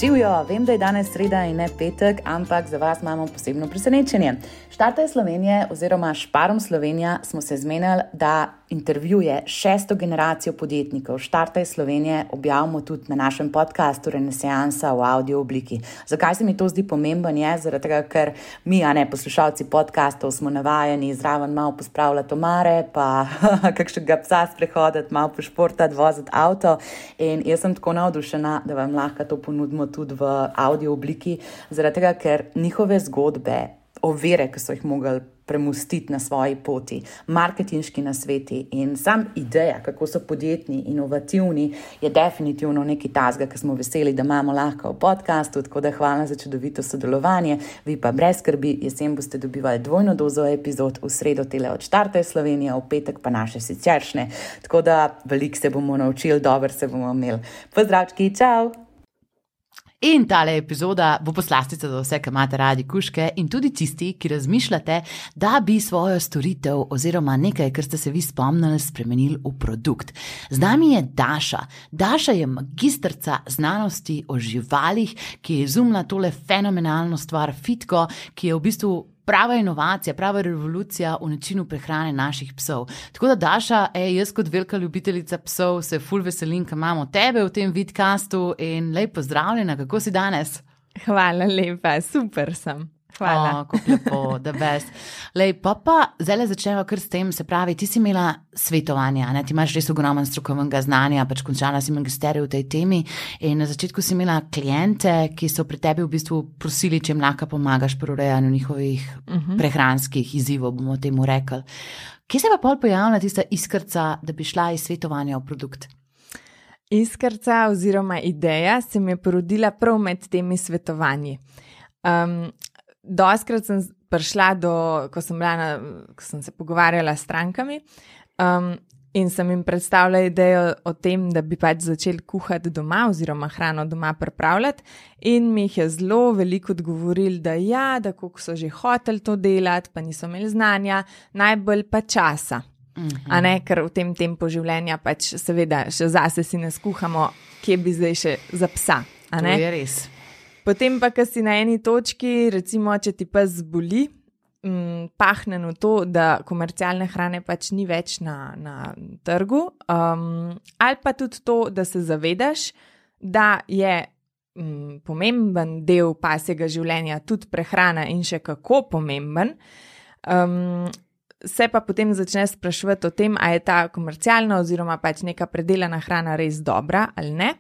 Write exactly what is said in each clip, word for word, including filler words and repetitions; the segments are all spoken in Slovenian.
Živijo, vem, da je danes sreda in ne petek, ampak za vas imamo posebno presenečenje. Štartaj Slovenije oziroma Šparom Slovenija smo se zmenili, da intervjuje šesto generacijo podjetnikov. Štartaj Slovenije objavimo tudi na našem podcastu Renesansa v audio obliki. Zakaj se mi to zdi pomemben je? Zaradi tega, ker mi, a ne poslušalci podcastov, smo navajeni zraven malo pospravljati omare, pa kakšnega psa sprehoditi, malo pošportati, voziti avto. In jaz sem tako navdušena, da vam lahko to ponudimo tudi v audio obliki, zaradi tega, ker njihove zgodbe, ovire, ki so jih mogli premustiti na svoji poti, marketinški nasveti in sam ideja, kako so podjetni, inovativni, je definitivno nekaj tazga, ki smo veseli, da imamo lahko v podcastu, tako da hvala za čudovito sodelovanje. Vi pa brez skrbi, jesen boste dobivali dvojno dozo epizod, v sredo tele od Štartaj Slovenija, v petek pa naše siceršnje. Tako da veliko se bomo naučili, dobro se bomo imeli. Pozdravčki, čau! In tale epizoda bo poslastica za vse, ki imate radi kužke in tudi tisti, ki razmišljate, da bi svojo storitev oziroma nekaj, kar ste se vi spomnili, spremenili v produkt. Z nami je Daša. Daša je magistrca znanosti o živalih, ki je izumila tole fenomenalno stvar Fitko, ki je v bistvu prava inovacija, prava revolucija v načinu prehrane naših psov. Tako da, Daša, ej, jaz kot velika ljubiteljica psov se ful veselim, ker imamo tebe v tem vidcastu in lej pozdravljena, kako si danes? Hvala lepa, super sem. Hvala. O, kako lepo, the best. Lej, pa pa zdaj začnemo kar s tem, se pravi, ti si imela svetovanja, ne? Ti imaš res ogromen strokovnega znanja, pač končala si magisterij v tej temi in na začetku si imela klijente, ki so pri tebi v bistvu prosili, če jim lahko pomagaš pri urejanju njihovih uh-huh. prehranskih izzivov, bomo temu rekli. Kje se pa pol pojavila tista iskrca, da bi šla iz svetovanja v produkt? Iskrca oziroma ideja se mi je porodila prav med temi svetovanji. Um, Doskrat sem prišla do, ko sem, bila na, ko sem se pogovarjala s strankami um, in sem jim predstavila idejo o tem, da bi pač začeli kuhati doma oziroma hrano doma pripravljati in mi jih je zelo veliko odgovorili, da ja, da koliko so že hoteli to delati, pa niso imeli znanja, najbolj pa časa. Mm-hmm. A ne, ker v tem tempu življenja pač seveda še zase si ne skuhamo, kje bi zdaj še za psa. A ne? To je res. Potem pa, ko si na eni točki, recimo, če ti pes zboli, m, pahne v to, da komercialne hrane pač ni več na, na trgu, um, ali pa tudi to, da se zavedaš, da je m, pomemben del pasjega življenja tudi prehrana in še kako pomemben, um, se pa potem začneš spraševati o tem, a je ta komercialna oziroma pač neka predelana hrana res dobra ali ne.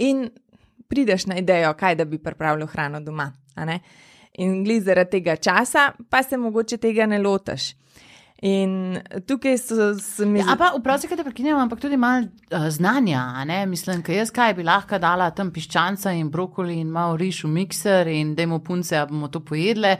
In prideš na idejo, kaj da bi pripravljal hrano doma. A ne? In glih zaradi tega časa, pa se mogoče tega ne lotaš. In tukaj so se mi... Ja, pa vprašaj, kaj te prekinjam, ampak tudi malo uh, znanja, a ne? Mislim, kaj jaz kaj bi lahko dala tam piščanca in brokoli in malo riž v mikser in dajmo punce, a bomo to pojedle,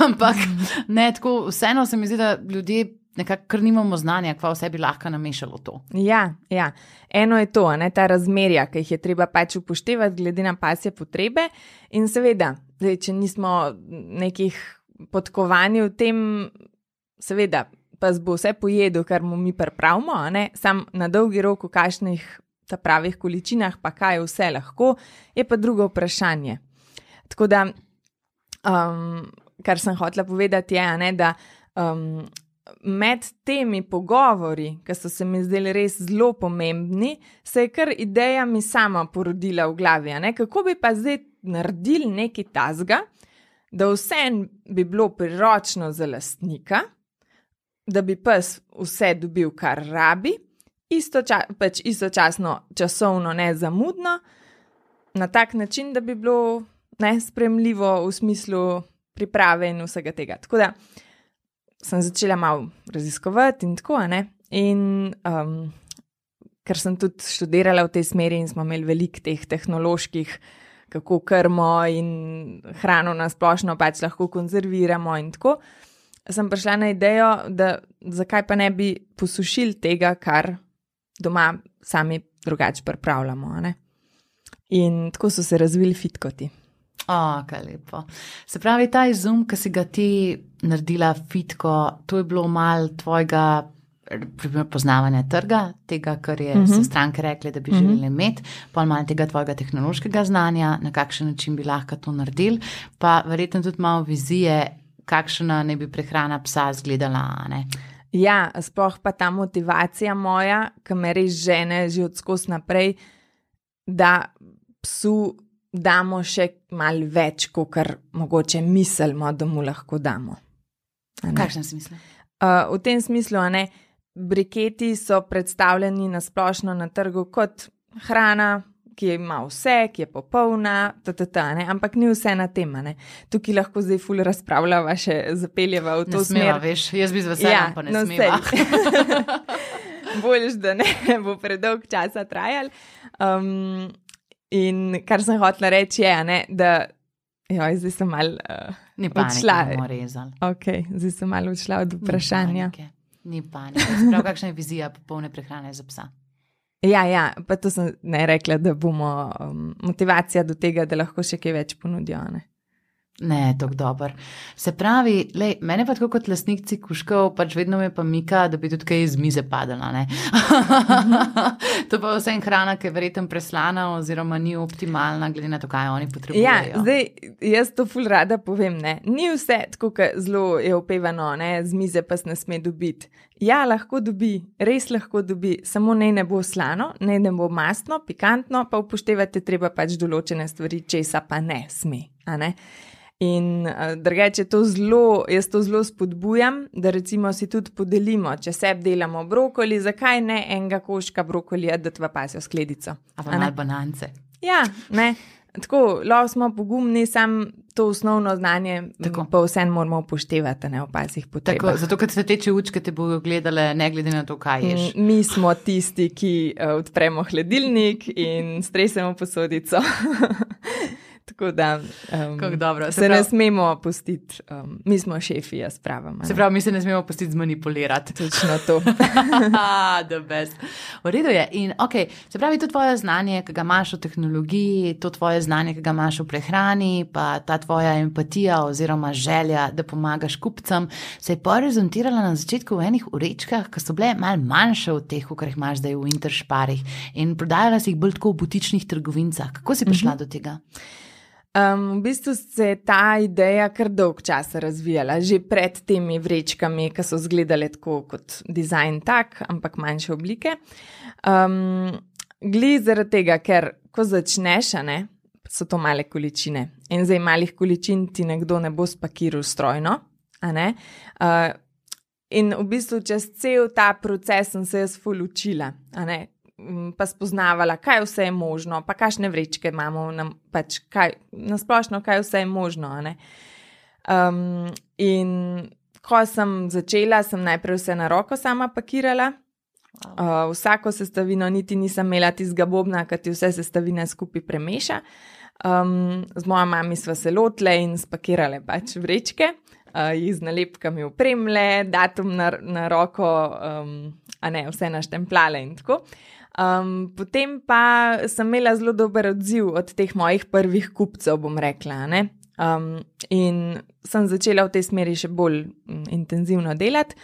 ampak ne, tako vseeno se mi zdi, da ljudje nekako kar nimamo znanja, kva vse bi lahko namešalo to. Ja, ja. Eno je to, ne, ta razmerja, ki jih je treba pač upoštevati glede na pasje potrebe in seveda, zdaj, če nismo nekih podkovani v tem, seveda, pa bo vse pojedel, kar mu mi pripravimo, ne, sam na dolgi rok v kakšnih ta pravih količinah, pa kaj vse lahko, je pa drugo vprašanje. Tako da, um, kar sem hotela povedati je, ne, da um, med temi pogovori, ki so se mi zdeli res zelo pomembni, se je kar ideja mi sama porodila v glavi. Ne? Kako bi pa zdaj naredili nekaj tazga, da vse bi bilo priročno za lastnika, da bi pes vse dobil, kar rabi, istoča, pač istočasno časovno nezamudno, na tak način, da bi bilo nespremljivo v smislu priprave in vsega tega. Tako da sem začela malo raziskovati in tako, ne, in um, ker sem tudi študirala v tej smeri in smo imeli veliko teh tehnoloških, kako krmo in hrano na splošno pač lahko konzerviramo in tako, sem prišla na idejo, da zakaj pa ne bi posušili tega, kar doma sami drugače pripravljamo, ne. In tako so se razvili fitkoti. O, kaj lepo. Se pravi, ta izum, ki si ga ti naredila fitko, to je bilo malo tvojega poznavanja trga, tega, kar je, Mhm. so stranke rekli, da bi Mhm. želeli imeti, pol malo tega tvojega tehnološkega znanja, na kakšen način bi lahko to naredili, pa verjetno tudi malo vizije, kakšna ne bi prehrana psa izgledala, a ne? Ja, sploh pa ta motivacija moja, ki me res žene že od skozi naprej, da psu damo še malo več, kot kar mogoče mislimo, da mu lahko damo. A V ne? kakšnem smislu? Uh, v tem smislu, a ne, briketi so predstavljeni na splošno na trgu kot hrana, ki ima vse, ki je popolna, tata, ne, ampak ni vse na tem, a ne. Tukaj lahko zdaj ful razpravljava, še zapeljeva v to Ne smeva, smer. veš, jaz bi z veseljem, pa ne no, smeva. sej. Boljš, da ne bo predolg časa trajal. Um, in kar sem hotela reči je, a ne, da joj, zdaj sem malo uh, Ni panike, odšla. bomo rezali. Ok, zdaj sem malo odšla od Ni vprašanja. panike, Ni panike. Se pravi, kakšna je vizija popolne prehrane za psa? Ja, ja, pa to sem ne rekla, da bomo um, motivacija do tega, da lahko še kaj več ponudijo. Ne? Ne, tako dober. Se pravi, lej, mene pa tako kot lastnikci kužkov, pač vedno me pa mika, da bi tudi kaj iz mize padala, ne? To pa vse en hrana, ki je verjetno preslana oziroma ni optimalna, glede na to, kaj oni potrebujejo. Ja, zdaj jaz to ful rada povem, ne. Ni vse tako, kot zelo je opevano, ne, z mize pa se ne sme dobiti. Ja, lahko dobi, res lahko dobi, samo naj ne bo slano, naj ne bo mastno, pikantno, pa upoštevate treba pač določene stvari, česa pa ne sme, a ne. In uh, drugače to zelo, jaz to zelo spodbujam, da recimo si tudi podelimo, če sebi delamo brokoli, zakaj ne enega koščka brokolija dati v pasjo skledico. A pa malo banance. Ja, ne, tako, lahko smo pogumni, sam to osnovno znanje Tako. pa vsem moramo upoštevati, ne, v pasjih potrebah. Tako, zato, ker se teče učke, te bodo gledale, ne glede na to, kaj ješ. Mm, Mi smo tisti, ki uh, odpremo hladilnik in stresemo posodico. Tako da um, Kako dobro. Se se ne pravi- smemo pustiti, um, mi smo šefi, jaz pravim. a Se ne. pravi, mi se ne smemo pustiti zmanipulirati. Točno to. The best. V redu je. In ok, se pravi, to tvoje znanje, ki ga imaš v tehnologiji, to tvoje znanje, ki ga imaš v prehrani, pa ta tvoja empatija oziroma želja, da pomagaš kupcem, se je porezontirala na začetku v enih urečkah, ki so bile malo manjše od teh, kar jih imaš zdaj v Interšparih in prodajala si jih bolj tako v butičnih trgovincah. Kako si prišla mm-hmm. do tega? Um, v bistvu se je ta ideja kar dolg časa razvijala, že pred temi vrečkami, ki so izgledale tako kot dizajn tak, ampak manjše oblike. Um, Gli zaradi tega, ker ko začneš, a ne, so to male količine. In zdaj malih količin ti nekdo ne bo spakiral strojno, a ne. Uh, in v bistvu čez cel ta proces sem se jaz ful učila, a ne. Pa spoznavala, kaj vse je možno, pa kakšne vrečke imamo, nam, pač kaj, nasplošno, kaj vse je možno. a ne. Um, in ko sem začela, sem najprej vse na roko sama pakirala. Uh, vsako sestavino niti nisem imela tistega bobna, ki ti vse sestavine skupaj premeša. Um, z mojo mami sva se lotile in spakirale pač vrečke, uh, jih z nalepkami opremile, datum na, na roko, um, a ne, vse naštemplale in tako. Um, potem pa sem imela zelo dober odziv od teh mojih prvih kupcev, bom rekla. Ne? Um, in sem začela v tej smeri še bolj um, intenzivno delati,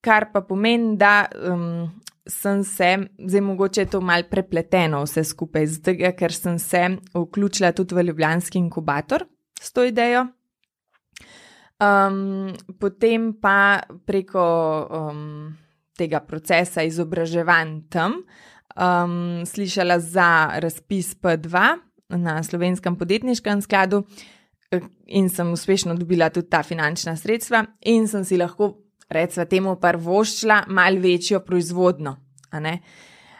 kar pa pomeni, da um, sem se, zdaj mogoče je to malo prepleteno vse skupaj, zato ker sem se vključila tudi v ljubljanski inkubator s to idejo. Um, potem pa preko um, tega procesa izobraževanj tam um, slišala za razpis P dva na Slovenskem podjetniškem skladu in sem uspešno dobila tudi ta finančna sredstva in sem si lahko, recimo temu, prvoščila malo večjo proizvodno. A ne?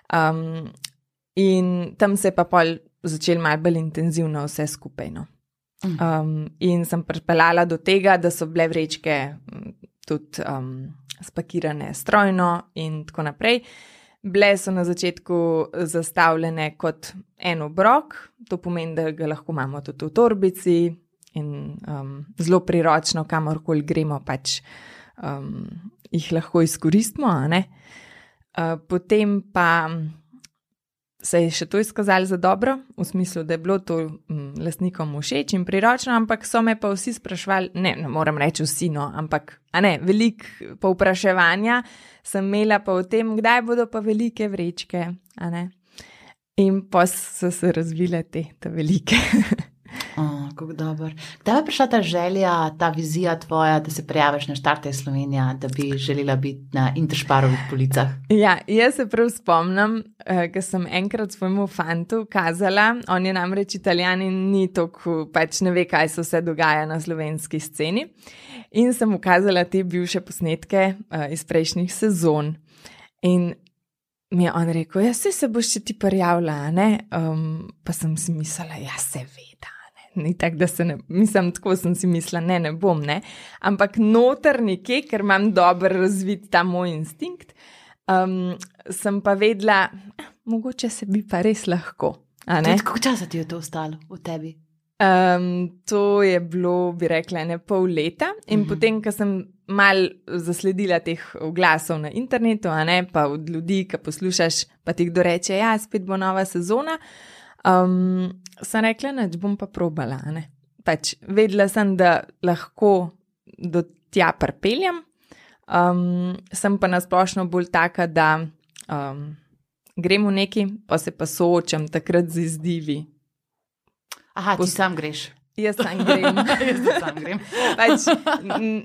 Um, in tam se je pa pol začel malo bolj intenzivno vse skupaj. No. Um, in sem pripeljala do tega, da so bile vrečke tudi um, spakirane strojno in tako naprej. Bile so na začetku zastavljene kot en obrok, to pomeni, da ga lahko imamo tudi v torbici in um, zelo priročno, kamorkoli gremo, pač um, jih lahko izkoristimo. A ne? Uh, potem pa se je še to izkazalo za dobro, v smislu, da je bilo to um, lastnikom všeč in priročno, ampak so me pa vsi sprašvali, ne, ne moram reči vsi, no, ampak, a ne, veliko povpraševanja sem imela pa o tem, kdaj bodo pa velike vrečke, a ne. In pa so se razvile te, te velike. Oh, kako dober. Kdaj je prišla ta želja, ta vizija tvoja, da se prijaviš na Štartaj Slovenija, da bi želela biti na Interšparovih policah? Ja, jaz se prav spomnim, eh, ker sem enkrat svojemu fantu kazala, on je namreč Italijan in ni toliko, pač ne ve, kaj se vse dogaja na slovenski sceni. In sem mu kazala te bivše posnetke eh, iz prejšnjih sezon. In mi je on rekel, ja, se, se boš še ti prijavila, ne? Um, pa sem si mislila, ja, seveda. Ni tako, da se ne, mislim, tako sem si mislila, ne, ne bom, ne, ampak noter nekje, ker imam dobro razvit ta moj instinkt, um, sem pa vedela, eh, mogoče se bi pa res lahko, a ne? Tudi koliko časa ti je to ostalo v tebi? Um, to je bilo, bi rekla, ne pol leta in uh-huh. potem, ko sem mal zasledila teh oglasov na internetu, a ne, pa od ljudi, ki poslušaš, pa ti kdo reče, ja, spet bo nova sezona, Um, sem rekla, neč bom pa probala, ne. Pač vedela sem, da lahko do tja pripeljem, um, sem pa nasplošno bolj taka, da um, grem v neki, pa se pa soočam takrat z izzivi. Aha, ti Pos- sam greš. Jaz sam grem. Jaz sam grem. Pač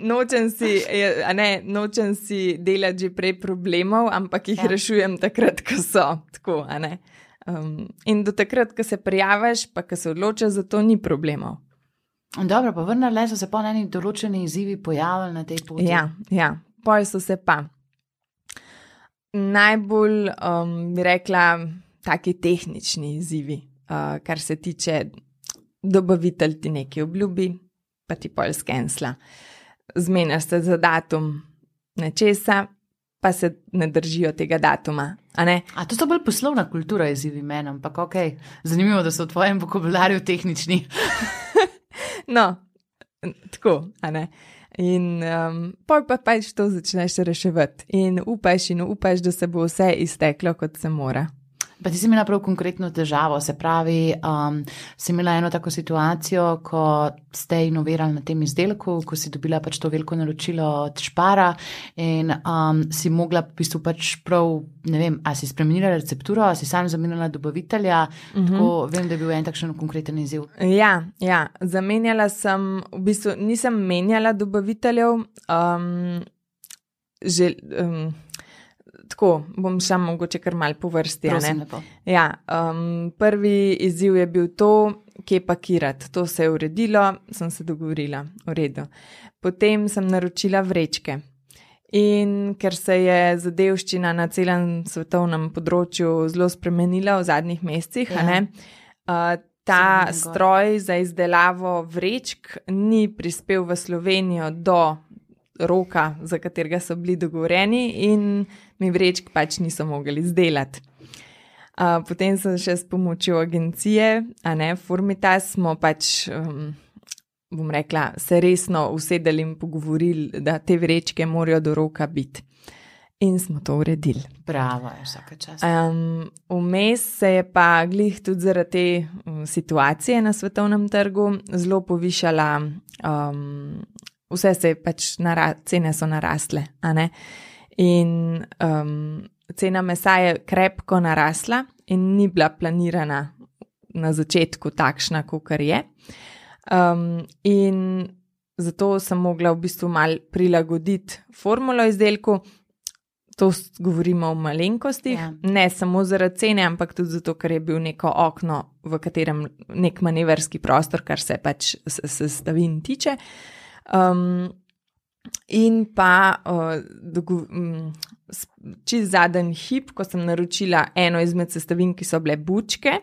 nočem si, a ne, nočem si delati že prej problemov, ampak jih ja. rešujem takrat, ko so, tako, a ne. Um, in do takrat, ko se prijaviš, pa ko se odločiš, za to ni problemov. Dobro, pa vrnile so se pa neki določeni izzivi pojavili na tej poti. Ja, ja, poj so se pa. Najbolj, um, bi rekla, taki tehnični izzivi, uh, kar se tiče dobavitelj ti nekaj obljubi, pa ti pol skensla. Zmeniš se za datum nečesa, pa se ne držijo tega datuma. A, ne? A to so bolj poslovna kultura izzivi meni, ampak ok, zanimivo, da so v tvojem vokabularju tehnični. No, tako, a ne. In um, pol pa pač to začneš reševati in upaš in upaš, da se bo vse izteklo, kot se mora. Pa ti si imela prav konkretno težavo, se pravi, um, si imela eno tako situacijo, ko ste inovirali na tem izdelku, ko si dobila pač to veliko naročilo od Špara in um, si mogla v bistvu pač prav, ne vem, a si spremenila recepturo, a si sam zamenjala dobavitelja, uh-huh. tako vem, da je bil en takšen konkreten izziv. Ja, ja, zamenjala sem, v bistvu nisem menjala dobaviteljev, um, že... Um, Tako, bom šla mogoče kar malo po vrsti. Prosim, lepo. Ja, um, prvi izziv je bil to, kje pakirati. To se je uredilo, sem se dogovorila, v redu. Potem sem naročila vrečke. In ker se je zadevščina na celem svetovnem področju zelo spremenila v zadnjih mesecih, ja. a ne, uh, ta stroj za izdelavo vrečk ni prispel v Slovenijo do roka, za katerega so bili dogovoreni in mi vrečk pač niso mogli izdelati. Uh, potem sem še s pomočjo agencije, a ne, Formitas, smo pač, um, bom rekla, se resno usedeli in pogovorili, da te vrečke morajo do roka biti. In smo to uredili. Bravo, je vsaka čast. Um, vmes se je pa glih tudi zaradi te um, situacije na svetovnem trgu zelo povišala, um, vse se je pač, nara, cene so narasle, a ne? In um, cena mesa je krepko narasla in ni bila planirana na začetku takšna, kakor je. Um, in zato sem mogla v bistvu mal prilagoditi formulo izdelku. To govorimo o malenkostih, ja. Ne samo zaradi cene, ampak tudi zato, ker je bil neko okno, v katerem nek manevrski prostor, kar se pač sestavin tiče. Um, in pa uh, dogo, um, čist zadnji hip, ko sem naročila eno izmed sestavin, ki so bile bučke,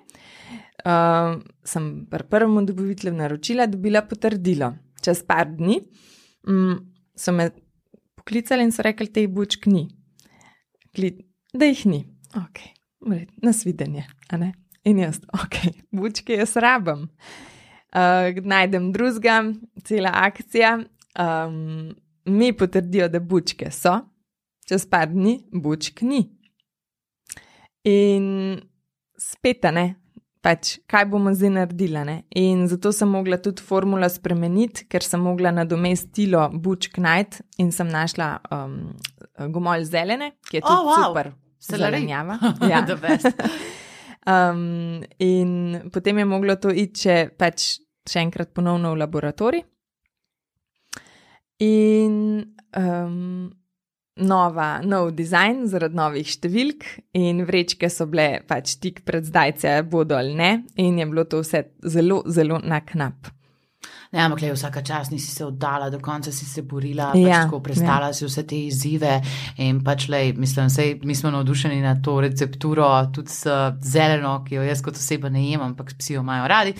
uh, sem pri prvem dobavitelju naročila, dobila potrdilo. Čez par dni um, so me poklicali in so rekli, teh bučk ni. Kli, da jih ni. Ok, nasvidenje, a ne? In jaz, ok, bučke jaz rabam. Uh, najdem drugega, cela akcija, um, mi potrdijo, da bučke so, čez par dni bučk ni. In spet, ne, pač kaj bomo zdaj naredili, ne. In zato sem mogla tudi formulo spremeniti, ker sem mogla nadomestilo bučk najti in sem našla um, gomolj zelene, ki je tudi Oh, wow. super Selleri. zelenjava. Ja. The best. Um, in potem je moglo to iti še, pač, še enkrat ponovno v laboratorij. In um, nova, nov dizajn zaradi novih številk in vrečke so bile pač tik pred zdajce, bodo ali ne, in je bilo to vse zelo, zelo na knap. Ne, ampak le vsaka čas nisi se oddala, do konca si se borila, Ja, pač tako prestala si vse te izzive in pač le, mislim, sej mi smo navdušeni na to recepturo, tudi s zeleno, ki jo jaz kot oseba ne jem, ampak psi jo imajo radi.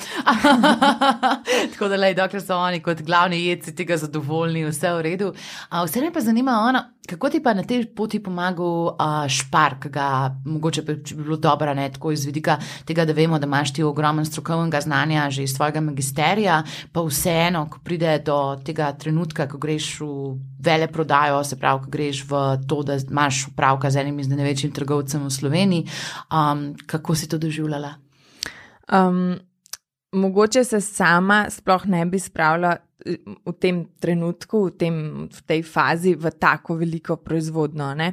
Tako da le, dokler so oni kot glavni jedci tega zadovoljni, vse v redu. A, vse me pa zanima, ona, kako ti pa na tej poti pomagal a, Špark, ga mogoče bi, bi bilo dobro, ne, tako iz vidika tega, da vemo, da imaš ti ogromen strokovnega znanja že iz tvojega magisterija, pa vseeno, ko pride do tega trenutka, ko greš v veleprodajo, se pravi, ko greš v to, da imaš opravka z enim izmed največjim trgovcem v Sloveniji, um, kako si to doživljala? Um, mogoče se sama sploh ne bi spravila v tem trenutku, v, tem, v tej fazi, v tako veliko proizvodno, ne.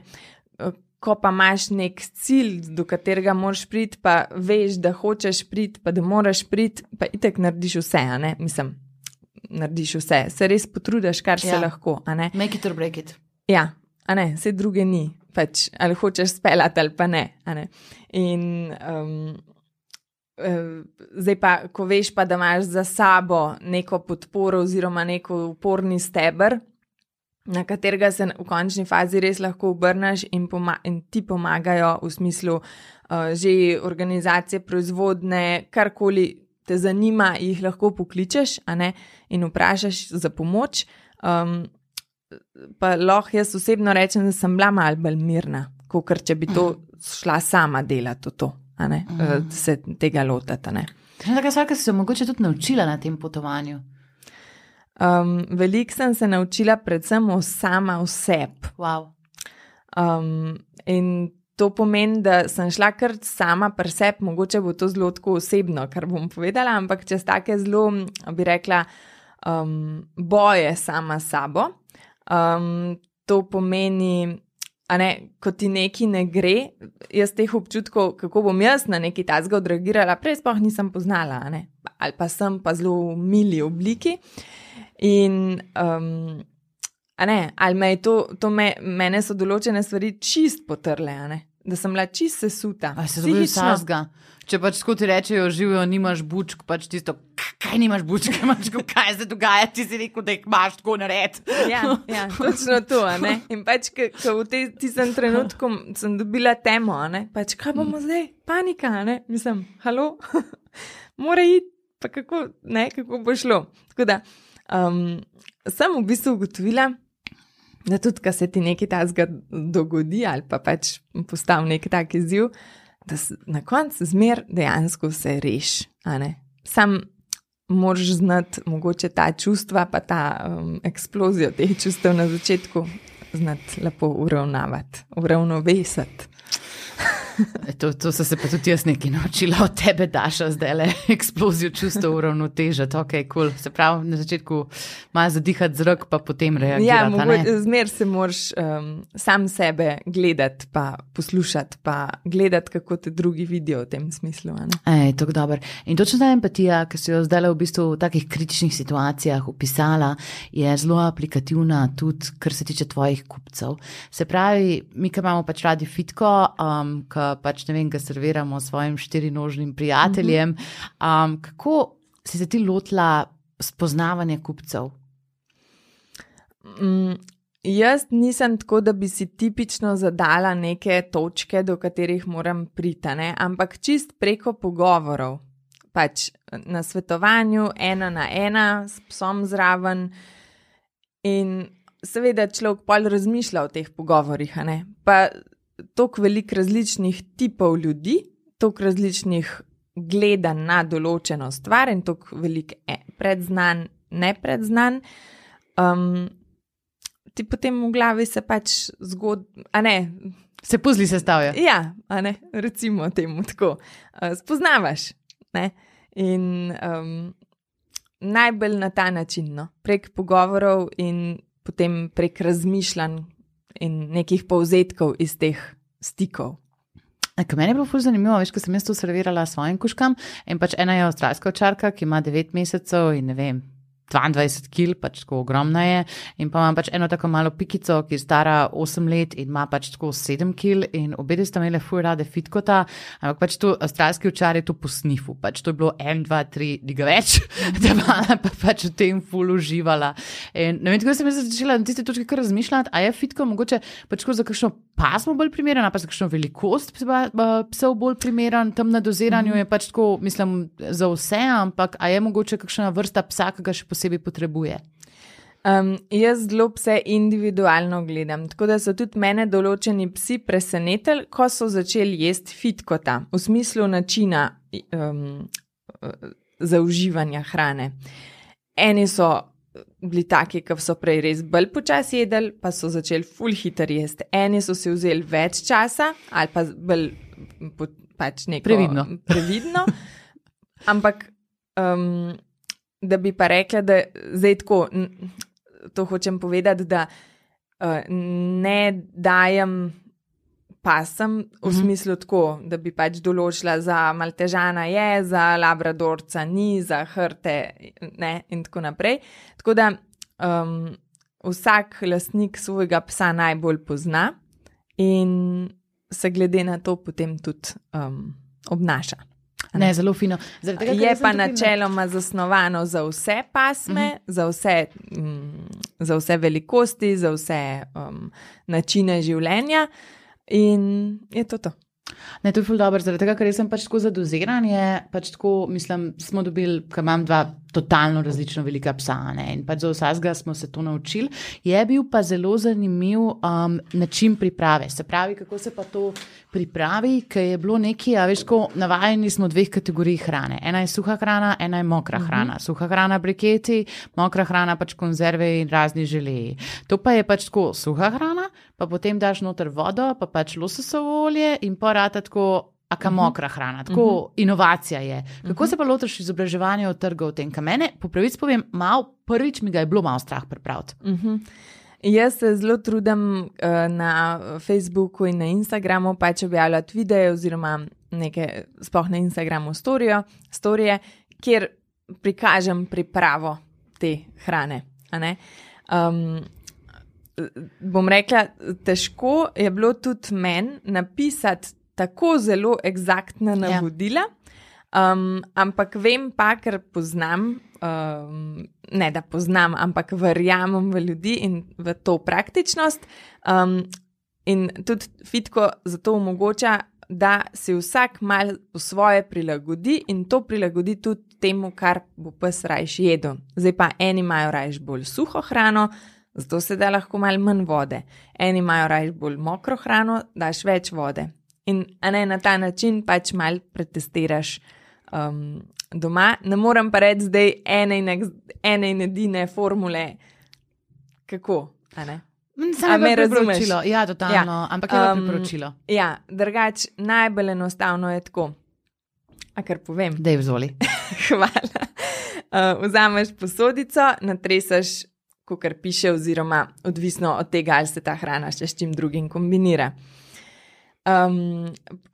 Ko pa imaš nek cilj, do katerega moraš priti, pa veš, da hočeš priti, pa da moraš priti, pa itek narediš vse, a ne, mislim, narediš vse, se res potrudiš, kar se Ja. lahko, a ne. Make it or break it. Ja, a ne, vse druge ni, pač, ali hočeš speljati ali pa ne, a ne. In um, uh, zdaj pa, ko veš pa, da imaš za sabo neko podporo oziroma neko uporni steber, na katerega se v končni fazi res lahko obrneš in, poma in ti pomagajo v smislu uh, že organizacije proizvodne, karkoli te zanima, jih lahko pokličeš, a ne, in vprašaš za pomoč. Um, pa lahko jaz osebno rečem, da sem bila malo bolj mirna, kakor če bi to šla sama delati v to, a ne, mm. se tega lotati, a ne. Taka stvar, ki si se mogoče tudi naučila na tem potovanju. Um, veliko sem se naučila predvsem o sama oseb. Wow. Um, in to pomeni, da sem šla kar sama pri sebi, mogoče bo to zelo tako osebno, kar bom povedala, ampak čez take zelo, bi rekla, um, boje sama sabo. Um, to pomeni, a ne, ko ti neki ne gre, jaz teh občutkov, kako bom jaz na neki tazga odreagirala, prej sploh nisem poznala, a ne, ali pa sem pa zelo v mili obliki. In, um, a ne, ali me je to, to me, mene so določene stvari čist potrle, a ne, da sem bila čist sesuta. A se to bil sazga? Če pač tako ti rečejo, živijo, nimaš bučk, pač tisto, kaj nimaš bučk, imaš, kaj se dogaja, ti si rekel, da jih imaš tako nared. Ja, ja, točno to, a ne, in pač, ko v tej tistem trenutku sem dobila temo, a ne, pač, kaj bomo zdaj, panika, a ne, mislim, halo, mora iti, pa kako, ne, kako bo šlo, tako da, Um, sem v bistvu ugotovila, da tudi, ko se ti nekaj takega dogodi ali pa pač postavi nek tak izziv, da na koncu zmer dejansko se reši, a ne. Sam moraš znati mogoče ta čustva pa ta um, eksplozijo teh čustev na začetku znati lepo uravnavati, uravnovesati. To, to so se pa tudi jaz nekaj naučila od tebe, Daša, zdaj le eksplozijo čustev uravnotežati, ok, cool. Se pravi, na začetku malo zadihati zrak, pa potem reagirati. Ja, mogoče zmer se moraš um, sam sebe gledati, pa poslušati, pa gledati, kako te drugi vidijo v tem smislu. Ej, tako dober. In točno ta empatija, ki si jo zdaj v bistvu v takih kritičnih situacijah opisala, je zelo aplikativna tudi, kar se tiče tvojih kupcev. Se pravi, mi, ki imamo pač radi fitko, um, ki pač ne vem, ga serviramo svojim štirinožnim prijateljem. Um, kako si se ti lotila spoznavanja kupcev? Mm, jaz nisem tako, da bi si tipično zadala neke točke, do katerih moram priti, ne? Ampak čist preko pogovorov, pač na svetovanju, ena na ena, s psom zraven in seveda človek pol razmišlja o teh pogovorih, a ne? Pa toliko veliko različnih tipov ljudi, toliko različnih gledanj na določeno stvar in toliko veliko predznan, nepredznanj. Um, ti potem v glavi se pač zgod, a ne. Se puzli sestavlja. Ja, a ne, recimo temu tako. Uh, spoznavaš, ne, in um, najbolj na ta način, no, prek pogovorov in potem prek razmišljanj in nekih povzetkov iz teh stikov. K meni je bilo ful zanimivo, veš, ko sem jaz to servirala svojim kužkam in pač ena je avstralska ovčarka, ki ima devet mesecev in ne vem, dvaindvajset kil, pač tako ogromna je, in pa imam pač eno tako malo pikico, ki je stara osem let in ima pač tako sedem kil in obede sta imele ful rade fitkota, ampak pač to avstralski ovčar je to po snifu, pač to je bilo en, dva, tri, liga več, da pa pač v tem ful uživala. In ne vem, tako sem jaz začela na tiste točke kar razmišljati, a je fitko mogoče pač tako za kakšno pasmo bolj primeren, a pa za kakšno velikost psov bolj primeren, tam na doziranju je pač tako, mislim, za vse, ampak a je mogoče kakšna vrsta psa, ki ga še posebej potrebuje? Um, jaz zelo pse individualno gledam, tako da so tudi mene določeni psi presenetili, ko so začeli jesti fitkota, v smislu načina um, zauživanja hrane. Eni so bili taki, ki so prej res bolj počasi jedli, pa so začeli ful hiter jesti. Eni so si vzeli več časa, ali pa bolj pač neko previdno. previdno. Ampak um, da bi pa rekla, da zdaj tako, to hočem povedati, da uh, ne dajem pasem v smislu tako, da bi pač določila za maltežana je, za labradorca ni, za hrte ne in tako naprej. Tako da um, vsak lastnik svojega psa najbolj pozna in se glede na to potem tudi um, obnaša. Ne, ne, zelo fino. Tega, je pa načeloma na... zasnovano za vse pasme, uh -huh. za, vse, um, za vse velikosti, za vse um, načine življenja. In je to to. Ne, to je ful dobro, zaradi tega, ker jaz sem pač tako za doziranje, pač tako, mislim, smo dobili, ker imam dva totalno različno velika psa, ne, in pač za vsega smo se to naučili. Je bil pa zelo zanimiv um, način priprave, se pravi, kako se pa to pripravi, ker je bilo nekaj, a veš, ko navajeni smo dveh kategorij hrane. Ena je suha hrana, ena je mokra hrana. Uh-huh. Suha hrana briketi, mokra hrana pač konzerve in razni želeji. To pa je pač tako suha hrana, pa potem daš noter vodo, pa pač lososovo olje in pa rata tako aka mokra hrana. Tako uh-huh. inovacija je. Kako uh-huh. se pa lotiš izobraževanja od trga v tem? Ka mene, po pravici povem, mal, prvič mi ga je bilo malo strah pripraviti. Uh-huh. Jaz se zelo trudim uh, na Facebooku in na Instagramu pač objavljati videe oziroma neke, sploh na Instagramu storije, storije, kjer prikažem pripravo te hrane. A ne? Um, bom rekla, težko je bilo tudi meni napisati tako zelo eksaktna navodila, um, ampak vem pa, ker poznam, um, ne da poznam, ampak verjamem v ljudi in v to praktičnost. Um, in tudi fitko zato omogoča, da si vsak mal po svoje prilagodi in to prilagodi tudi temu, kar bo pes rajš jedel. Zdaj pa eni imajo rajš bolj suho hrano, zato se da lahko malo manj vode. Eni imajo rajš bolj mokro hrano, daš več vode. In a ne, na ta način pač malo pretestiraš um, doma. Ne morem pa reči zdaj ene in, ene in edine formule, kako, a ne? A me razumeš? Ja, totalno, ja. Ampak je um, priporočilo. Ja, drugač, najbolj enostavno je tako. A kar povem? Dej vzvoli. Hvala. Uh, vzameš posodico, natresaš, kakor piše, oziroma odvisno od tega, ali se ta hrana še s čim drugim kombinira. Um,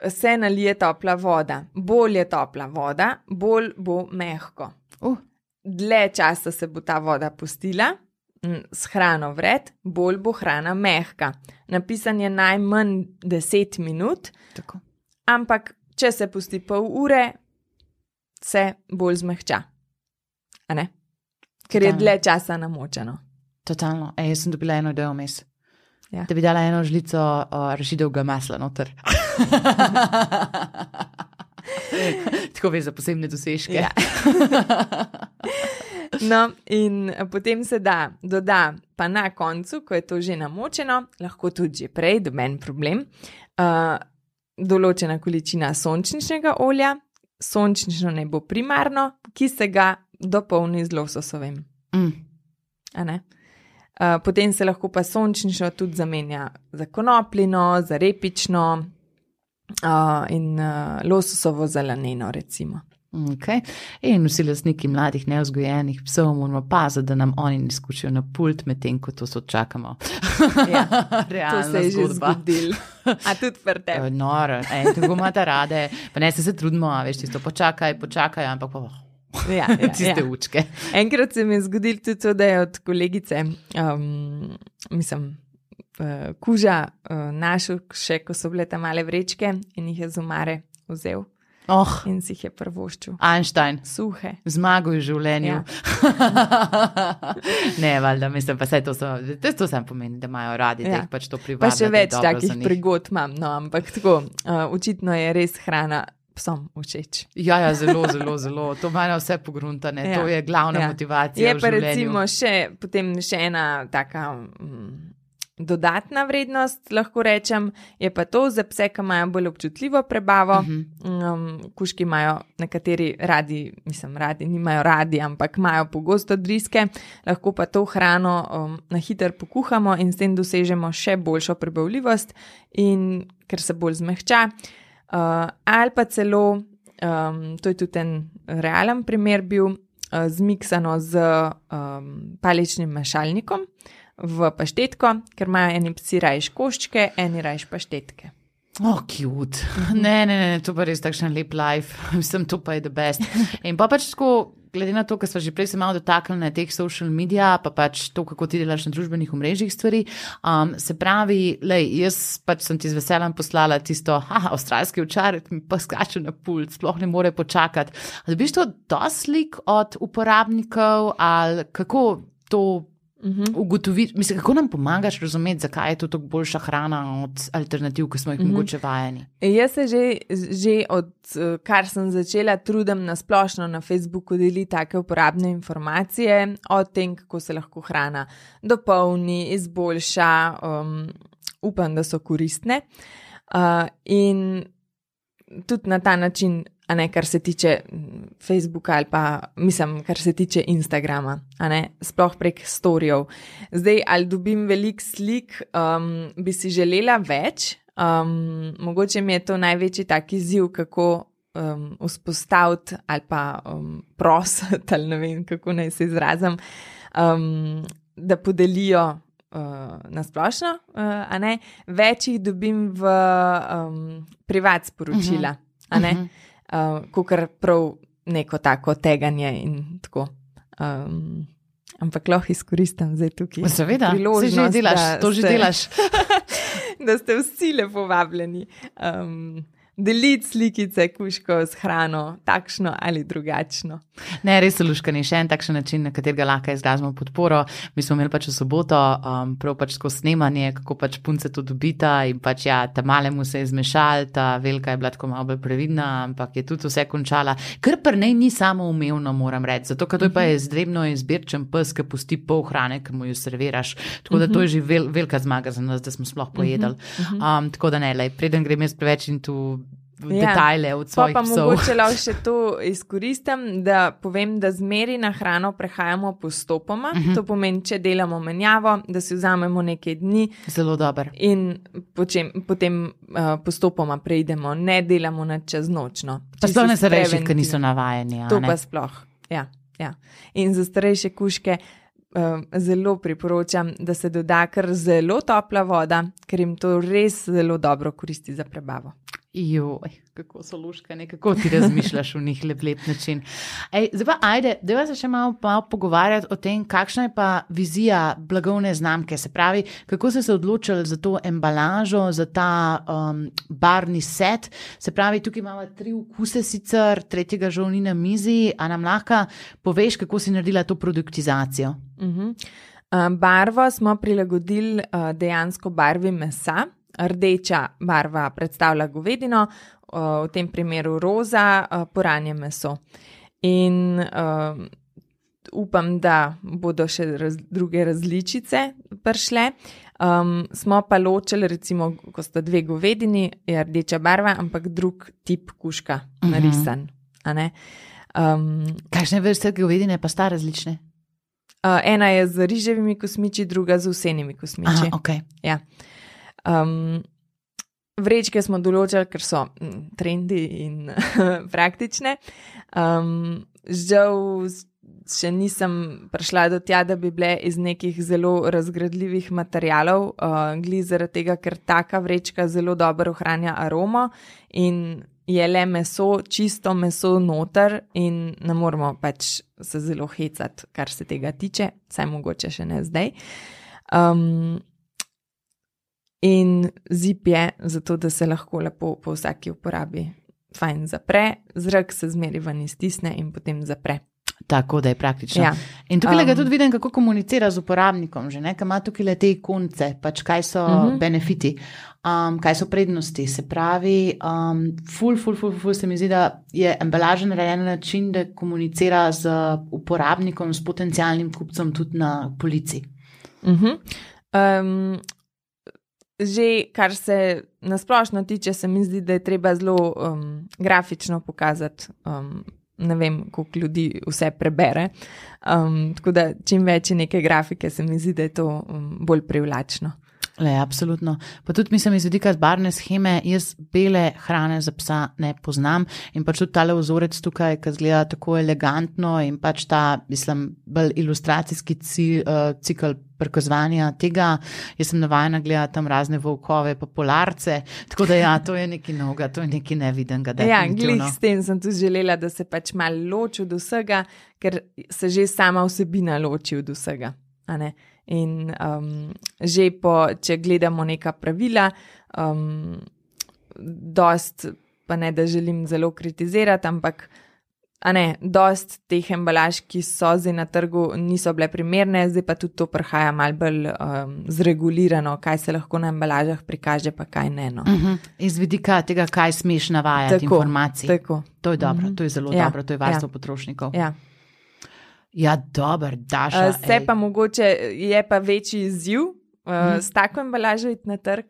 se nalije topla voda. Bolj je topla voda, bolj bo mehko. Uh. Dlje časa se bo ta voda pustila, s hrano vred, bolj bo hrana mehka. Napisan je najmanj deset minut, tako. Ampak če se pusti pol ure, se bolj zmehča. A ne? Ker Totalno. Je dlje časa namočeno. Totalno. Ej, jaz sem dobila eno idejo vmes. Ja. Da bi dala eno žlico uh, rašidovega masla noter. Tako veš za posebne dosežke. Ja. No, in potem se da, doda pa na koncu, ko je to že namočeno, lahko tudi že prej, doben problem, uh, določena količina sončničnega olja, sončnično ne bo primarno, ki se ga dopolni z lososovim. Mm. A ne? Uh, potem se lahko pa sončnično tudi zamenja za konopljino, za repično uh, in uh, lososovo zelenino, recimo. Okay. In vsi lastniki mladih, neozgojenih psov moramo paziti, da nam oni ne skučijo na pult, medtem ko to so čakamo. Ja, realna to se je zgodba. že zgodilo. A tudi pri tebi. Noro, ej, tako imate rade, pa ne se se trudimo, a veš, tisto počakaj, počakaj, ampak pa ja, ja, tiste ja. učke. Enkrat se mi je zgodilo tudi to, da je od kolegice, um, mislim, uh, kuža uh, našel še, ko so bile tam male vrečke in jih je z omare vzel. Oh, in si jih je prvoščil. Einstein. Suhe. Zmago v življenju. Ja. Ne, valjda, mislim, pa vse to so, to sam pomeni, da imajo radi, ja. Da jih pač to privablja. Pa še več takih prigod imam, no, ampak tako, uh, očitno je res hrana psom všeč. Ja, ja, zelo, zelo, zelo. To ima vse pogruntane, ja. To je glavna ja. Motivacija je v življenju. Je pa recimo še, potem še ena taka mm, dodatna vrednost, lahko rečem, je pa to za pse, ki imajo bolj občutljivo prebavo. Uh-huh. um, kužki imajo nekateri radi, mislim, radi, nimajo radi, ampak imajo pogosto driske, lahko pa to hrano um, na hiter pokuhamo in s tem dosežemo še boljšo prebavljivost in ker se bolj zmehča. Uh, ali pa celo, um, to je tudi en realen primer bil, uh, zmiksano z um, paličnim mešalnikom v paštetko, ker imajo eni psi rajš koščke, eni rajš paštetke. Oh, cute. Ne, ne, ne, to pa res takšen lep life. Mislim, to pa je the best. In pa pač tako, glede na to, kar smo že prej se malo dotaknili na teh social media, pa pač to, kako ti delaš na družbenih omrežjih stvari, um, se pravi, lej, jaz pač sem ti z veseljem poslala tisto, aha, avstralski ovčar, mi pa skače na pult, sploh ne more počakati. A dobiš to dosti slik od uporabnikov ali kako to Uh-huh. ugotoviti, mislim, kako nam pomagaš razumeti, zakaj je to tako boljša hrana od alternativ, ki smo jih uh-huh. mogoče vajeni? Jaz se že, že od kar sem začela trudim na splošno na Facebooku deliti take uporabne informacije o tem, kako se lahko hrana dopolni, izboljša, um, upam, da so koristne uh, in tudi na ta način, a ne, kar se tiče Facebooka ali pa, mislim, kar se tiče Instagrama, a ne, sploh prek storyjev. Zdaj, ali dobim veliko slik, um, bi si želela več, um, mogoče mi je to največji tak izziv, kako um, vzpostaviti ali pa um, prositi, ali ne vem, kako naj se izrazim, um, da podelijo uh, na splošno, uh, a ne, več jih dobim v um, privat sporočila, uh-huh. a ne, uh-huh. Uh, kakor prav neko tako teganje in tako. Um, ampak lahko izkoristim zdaj tukaj. Seveda, se že delaš, to že delaš. Da ste vsi lepo vabljeni. Um, deliti slikice kužkov s hrano, takšno ali drugačno. Ne, res je luškani, še en takšen način, na katerega lahko izrazimo podporo. Mi smo imeli pač v soboto um, prav pač skozi snemanje, kako pač punce to dobita in pač ja, ta malemu se je zmešal, ta velika je bila tako malo bolj previdna, ampak je tudi vse končala. Kar pri nej ni samo umevno, moram reči, zato ker to je pa izredno izbirčen pes, ki pusti pol hrane, ki mu jo serviraš. Tako da to je že vel, velika zmaga za nas, da smo sploh pojedali. Um, tako da ne, lej, preden grem jaz preveč in tu detajle od svojih pa psov. Pa mogoče lahko še to izkoristim, da povem, da zmeri na hrano prehajamo postopoma. Uh-huh. To pomeni, če delamo menjavo, da si vzamemo nekaj dni. Zelo dober. In počem, potem uh, postopoma preidemo, ne delamo na čez nočno. Pa sploh ne starejših, ki niso navajeni. To pa sploh, ja, ja. In za starejše kužke uh, zelo priporočam, da se doda kar zelo topla voda, ker jim to res zelo dobro koristi za prebavo. Joj, kako so luškane, kako ti razmišljaš v njih lep, lep način. Ej, zdaj pa ajde, dajva se še malo, malo pogovarjati o tem, kakšna je pa vizija blagovne znamke, se pravi, kako ste se odločili za to embalažo, za ta um, barni set, se pravi, tukaj imamo tri okuse sicer, tretjega žal ni na mizi, a nam lahko poveš, kako si naredila to produktizacijo? Uh-huh. Uh, barvo smo prilagodili uh, dejansko barvi mesa. Rdeča barva predstavlja govedino, v tem primeru roza, poranje meso. In uh, upam, da bodo še raz, druge različice prišle. Um, smo pa ločili, recimo, ko sta dve govedini, je rdeča barva, ampak drug tip kužka narisan. A ne? Um, Kakšne vrste govedine pa sta različne? Uh, ena je z riževimi kosmiči, druga z vsenimi kosmiči. Aha, okay. Ja. Um, vrečke smo določili, ker so mm, trendi in praktične. Um, žal še nisem prišla do tja, da bi bile iz nekih zelo razgradljivih materialov, uh, gli zaradi tega, ker taka vrečka zelo dobro ohranja aromo in je le meso, čisto meso noter in ne moramo pač se zelo hecati, kar se tega tiče, saj mogoče še ne zdaj. Um, in zip je zato, da se lahko lepo po vsaki uporabi fajn zapre, zrak se zmeri ven iztisne in potem zapre. Tako, da je praktično. Ja. In tukaj Um, ga tudi vidim, kako komunicira z uporabnikom, že, ne, kaj ima tukaj le te ikonce, pač kaj so Mhm. benefiti, um, kaj so prednosti. Se pravi, um, ful, ful, ful, ful se mi zdi, da je embalaža narejena na način, da komunicira z uporabnikom, s potencialnim kupcem tudi na polici. Mhm. Um, že kar se nasplošno tiče, se mi zdi, da je treba zelo um, grafično pokazati. Um, ne vem, koliko ljudi vse prebere. Um, tako da čim več je neke grafike, se mi zdi, da je to um, bolj privlačno. Le, absolutno. Pa tudi mislim iz vidika barvne sheme, jaz bele hrane za psa ne poznam in pač tudi tale vzorec tukaj, ki zgleda tako elegantno in pač ta, mislim, bolj ilustracijski cil, uh, cikl prikazovanja tega. Jaz sem navajena gledati tam razne volkove pa polarce, tako da ja, to je nekaj novega, to je nekaj nevidenega. Ja, glih s tem sem tudi želela, da se pač malo loči od vsega, ker se že sama vsebina loči od vsega, a ne? In um, že po, če gledamo neka pravila, um, dost, pa ne, da želim zelo kritizirati, ampak a ne, dost teh embalaž, ki so zdaj na trgu, niso bile primerne, zdaj pa tudi to prihaja mal bolj um, zregulirano, kaj se lahko na embalažah prikaže, pa kaj ne. No. Uh-huh. Iz vidika tega, kaj smeš navajati Tako, informacij. tako. To je dobro, Mhm. to je zelo Ja, dobro, to je varstvo ja. potrošnikov. Ja. Ja, dober, Daša. Uh, se ej. pa mogoče je pa večji izziv uh, Mhm. s tako embalažo iti na trg,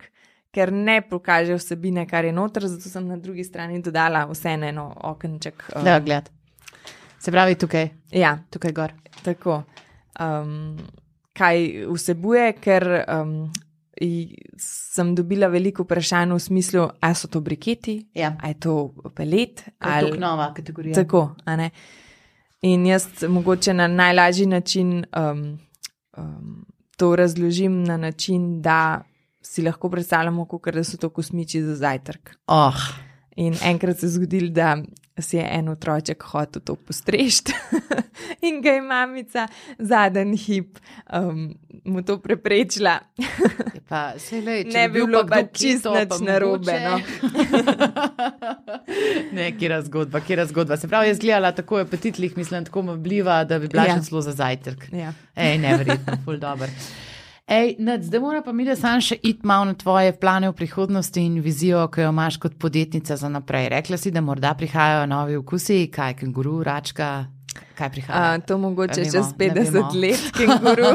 ker ne pokaže vsebine, kar je noter, zato sem na drugi strani dodala vseeno eno okenček. Uh, Da, gled. Se pravi tukaj, ja, tukaj gor. tako. Um, kaj vsebuje, ker um, i- sem dobila veliko vprašanj v smislu, a so to briketi, Ja, a je to pelet, to je ali tok nova kategorija. tako, a ne. In jaz mogoče na najlažji način um, um, to razložim na način, da si lahko predstavljamo, kakor da so to kosmiči za zajtrk. Oh, In enkrat se je zgodilo, da si je en otroček hotel to postrešti in ga je mamica zadnji hip um, mu to preprečila. pa se lej, če Ne bi bi bil bilo pa pa kdo čisto keto, nič pa narobe, mogoče. no. Ne, kjera zgodba, kjera zgodba. Se pravi, jaz gledala tako apetitlih, mislim, tako mabljiva, da bi bila Ja. še celo za zajtrk. Ja. Ej, neverjetno, ful dober. Ej, Nad, zdaj mora pa mi, da sam še iti malo na tvoje plane v prihodnosti in vizijo, ki jo imaš kot podjetnica za naprej. Rekla si, da morda prihajajo novi okusi, kaj, kenguru, račka, kaj prihaja? A, to mogoče Ne vemo, čez ne petdeset vemo. let, kenguru.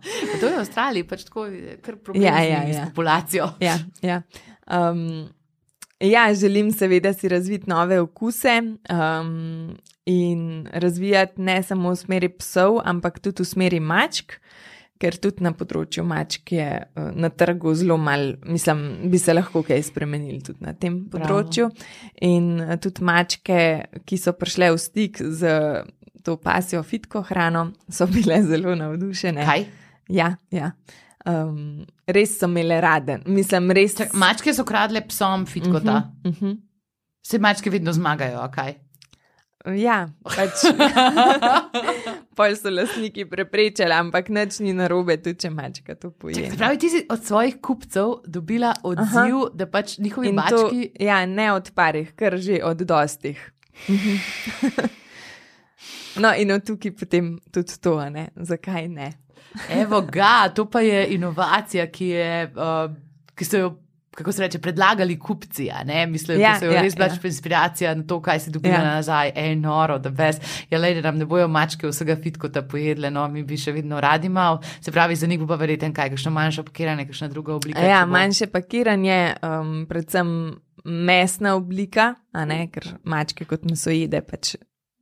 Pa to je v Avstraliji, pač tako je kar problem Ja, z ja, njimi, ja. s populacijo. Ja, ja. Um, ja, želim seveda si razviti nove okuse um, in razvijati ne samo v smeri psov, ampak tudi v smeri mačk, ker tudi na področju mačk je uh, na trgu zelo mal, mislim, bi se lahko kaj spremenili tudi na tem področju. In uh, tudi mačke, ki so prišle v stik z to pasjo fitko hrano, so bile zelo navdušene. Kaj? Ja, ja. Um, res so imele rade. Mislim, res. Čak, mačke so kradle psom fitkota. Uh -huh, uh -huh. Vse mačke vedno zmagajo, a kaj? Ja, pač. Pol so lastniki preprečali, ampak nič ni narobe, tudi če mačka to poje. Se pravi, ti si od svojih kupcev dobila odziv, Aha. da pač njihovi In to, mački... ja, ne od parih, kar že od dostih. No, in od tukaj potem tudi to, a ne? Zakaj ne? Evo ga, to pa je inovacija, ki je, uh, ki so jo, kako se reče, predlagali kupci, a ne? Mislim, Ja, da so jo ja, res bila ja. inspiracija na to, kaj si dobila Ja. nazaj. Ej, noro, da bes. Ja, lej, da nam ne bojo mačke vsega fitkota pojedle, no, mi bi še vedno radi mal. Se pravi, za njih bo pa verjeten kaj, kakšno manjše pakiranje, kakšna druga oblika. Ja, če bo- manjše pakiranje, um, predvsem mesna oblika, a ne, ker mačke kot mesojede pač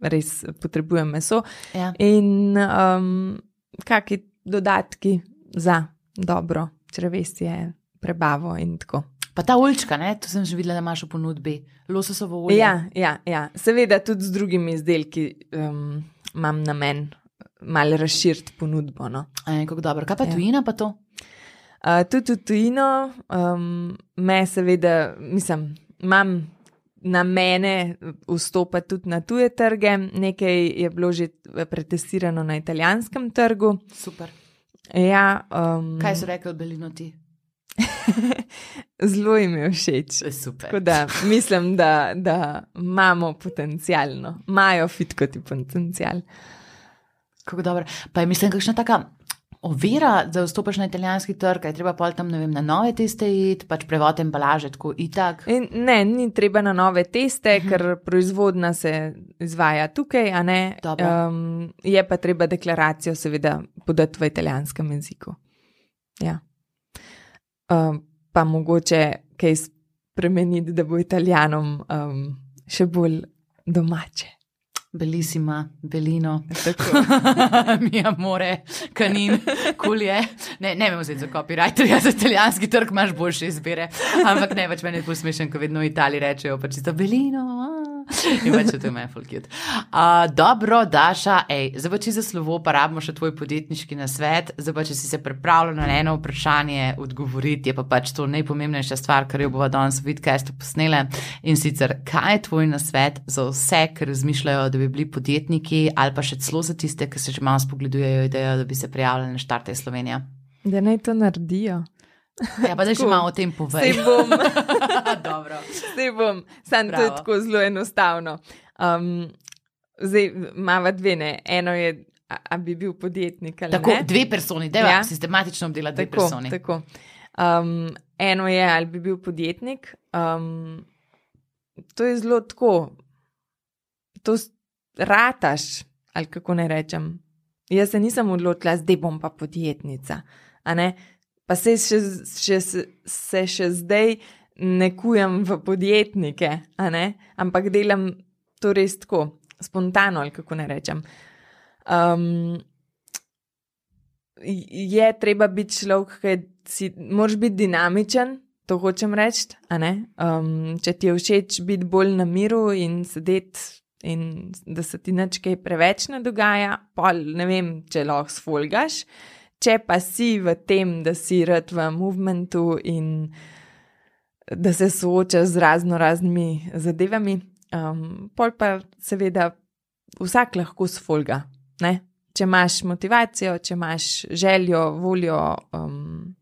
res potrebujem meso. Ja. In um, kakšni dodatki za dobro črevesje, prebavo in tako. Pa ta oljčka, ne, to sem že videla, da imaš v ponudbi, lososovo olje. Ja, ja, ja. Seveda tudi z drugimi izdelki um, imam namen malo razširiti ponudbo. No. E, kako dobro. Kaj pa Ja. tujina pa to? Uh, tudi v tujino um, me seveda, mislim, imam namene vstopati tudi na tuje trge. Nekaj je bilo že pretestirano na italijanskem trgu. Super. Ja, um, Kaj so rekli Belino ti? zelo jim je všeč. Super. Tako da mislim, da, da imamo potencialno, imajo fit kot potencial. Kako dobro. Pa je mislim, kakšna taka ovira, da vstopaš na italijanski trg, je treba pol tam, ne vem, na nove teste iti, pač prevod embalaže, tako itak. In ne, ni treba na nove teste, uh -huh. ker proizvodna se izvaja tukaj, a ne. Dobro. Um, je pa treba deklaracijo seveda podati v italijanskem jeziku. Ja. Um, pa mogoče kaj spremeniti, da bo Italijanom um, še bolj domače. Bellissima, Belino. Tako. Mi amore, kanin, kulje. Ne, ne vem vzeti za copywriter, ja, za italijanski trg imaš boljše izbire. Ampak ne, pač meni je posmešen, ko vedno v Italiji rečejo, pač čisto Belino. A. In pač to je meni full cute. Uh, dobro, Daša, ej, zdaj pa če za slovo pa rabimo še tvoj podjetniški nasvet, zdaj pa če si se pripravljal na eno vprašanje odgovoriti, je pa pač to najpomembnejša stvar, kar jo bova danes v vidcastu posnele. In sicer, kaj je tvoj nasvet za vse, ki razmišljajo, da bi bili podjetniki, ali pa še celo za tiste, ki se že malo spogledujejo idejo, da bi se prijavljali na Štartaj Slovenija? Da naj to naredijo. Ja, pa da še malo o tem povej. Sej bom. Dobro. Sej bom. Sam to je Bravo. tako zelo enostavno. Um, zdaj imava dve, ne. Eno je, a, a bi bil podjetnik ali Tako, ne. dve personi, deva Ja. sistematično obdela dve Tako, personi. tako. Um, eno je, ali bi bil podjetnik. Um, to je zelo tako. To s- rataš, ali kako ne rečem. Jaz se nisem odločila, zdaj bom pa podjetnica. A ne? Pa se še, še, se še zdaj ne kujem v podjetnike, a ne? Ampak delam to res tako, spontano, ali kako ne rečem. Um, je treba biti človek, ki si, moraš biti dinamičen, to hočem reči, a ne? Um, če ti je všeč biti bolj na miru in sedeti in da se ti nič kaj preveč ne dogaja, pol ne vem, če lahko sfolgaš. Če pa si v tem, da si rad v movementu in da se soočaš z razno raznimi zadevami, um, pol pa seveda vsak lahko sfolga, ne? Če imaš motivacijo, če imaš željo, voljo, um,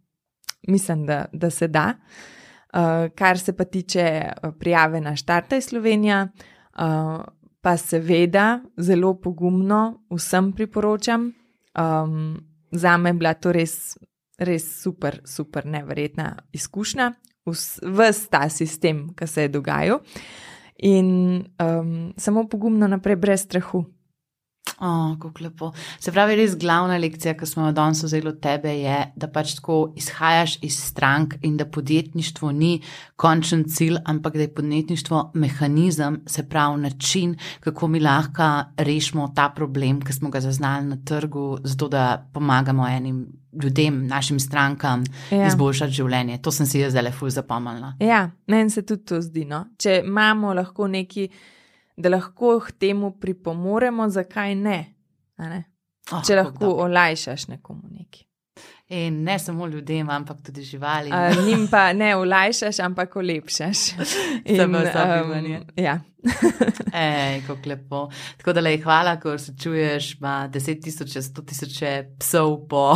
mislim, da, da se da. Uh, kar se pa tiče uh, prijave na Štartaj Slovenija, uh, pa seveda zelo pogumno vsem priporočam. Um, Zame je bila to res, res super, super neverjetna izkušnja, ves ta sistem, ki se je dogajal. In um, samo pogumno naprej, brez strahu. O, kako lepo. Se pravi, res glavna lekcija, ki smo jo danes vzeli od tebe, je, da pač tako izhajaš iz strank in da podjetništvo ni končen cilj, ampak da je podjetništvo mehanizem, se pravi način, kako mi lahko rešimo ta problem, ki smo ga zaznali na trgu, zato da pomagamo enim ljudem, našim strankam, Ja. izboljšati življenje. To sem si jaz zdaj ful zapomnila. Ja, meni se tudi to zdi, no. Če imamo lahko neki, da lahko k temu pripomoremo, zakaj ne? A ne? Oh, Če kako lahko dobro. olajšaš nekomu neki. In ne samo ljudem, ampak tudi živali. A, njim pa ne olajšaš, ampak olepšaš. Samo sobivanje. ja. Ej, kako lepo. Tako da lej, hvala, ko se čuješ, ima deset tisoče, sto tisoče psov po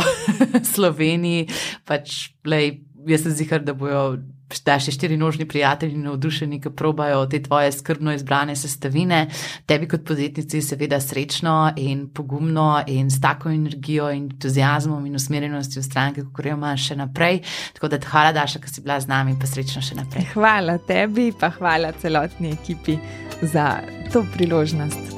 Sloveniji, pač lej, jaz sem zihar, da bojo da še štirinožni prijatelji navdušeni, ki probajo te tvoje skrbno izbrane sestavine. Tebi kot podjetnici seveda srečno in pogumno in s tako energijo in entuziazmom in usmerjenostjo v stranke, kako jo imaš še naprej. Tako da hvala, Daša, ki si bila z nami, pa srečno še naprej. Hvala tebi, pa hvala celotni ekipi za to priložnost.